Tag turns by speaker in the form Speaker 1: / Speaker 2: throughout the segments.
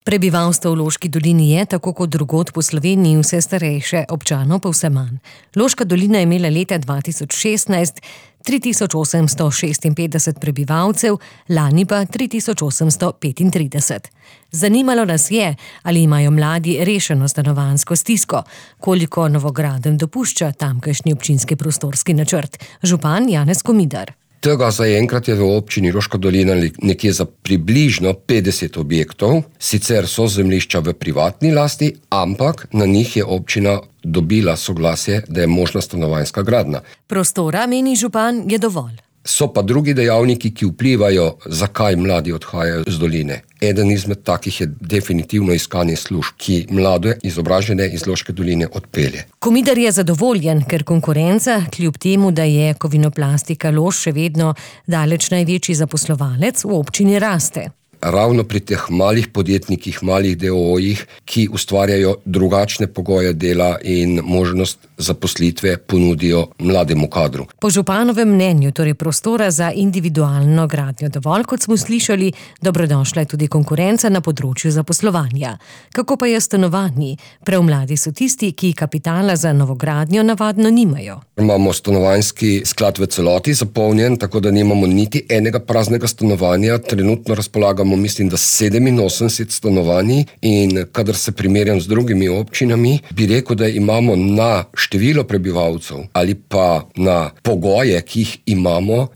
Speaker 1: Prebivalstvo v Loški dolini je, tako kot drugod po Sloveniji, vse starejše, občanov pa vse manj. Loška dolina je imela leta 2016 3856 prebivalcev, lani pa 3835. Zanimalo nas je, ali imajo mladi rešeno stanovanjsko stisko, koliko novogradenj dopušča tamkajšnji občinski prostorski načrt. Župan Janez Komidar.
Speaker 2: Tega zaenkrat je v občini Loška dolina nekje za približno 50 objektov, sicer so zemljišča v privatni lasti, ampak na njih je občina dobila soglasje, da je možna stanovanjska gradnja.
Speaker 1: Prostora, meni župan, je dovolj.
Speaker 2: So pa drugi dejavniki, ki vplivajo, zakaj mladi odhajajo z doline. Eden izmed takih je definitivno iskanje služb, ki mlade izobražene iz Loške doline odpelje.
Speaker 1: Komidar je zadovoljen, ker konkurenca, kljub temu, da je Kovinoplastika Loš še vedno daleč največji zaposlovalec, v občini raste.
Speaker 2: Ravno pri teh malih podjetnikih, malih DOO-jih, ki ustvarjajo drugačne pogoje dela in možnost zaposlitve ponudijo mlademu kadru.
Speaker 1: Po županovem mnenju, torej prostora za individualno gradnjo dovolj, kot smo slišali, dobrodošla je tudi konkurenca na področju zaposlovanja. Kako pa je stanovanji? Prav mladi so tisti, ki kapitala za novogradnjo navadno nimajo.
Speaker 2: Imamo stanovanjski sklad v celoti zapolnjen, tako da nimamo niti enega praznega stanovanja. Trenutno razpolagamo, mislim, da 87 stanovanj, in kadar se primerjam z drugimi občinami, bi rekel, da imamo na število prebivalcev ali pa na pogoje, ki jih imamo,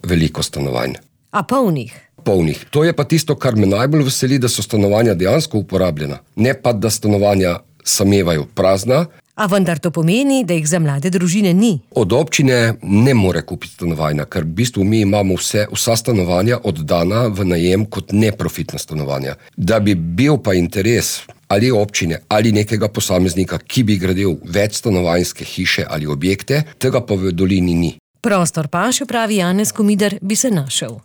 Speaker 2: veliko stanovanj.
Speaker 1: A polnih?
Speaker 2: Polnih. To je pa tisto, kar me najbolj veseli, da so stanovanja dejansko uporabljena. Ne pa, da stanovanja samevajo prazna.
Speaker 1: A vendar to pomeni, da jih za mlade družine ni.
Speaker 2: Od občine ne more kupiti stanovanja, ker v bistvu mi imamo vsa stanovanja oddana v najem kot neprofitna stanovanja. Da bi bil pa interes ali občine ali nekega posameznika, ki bi gradil več stanovanjske hiše ali objekte, tega pa v dolini ni.
Speaker 1: Prostor pa, še pravi Janez Komidar, bi se našel.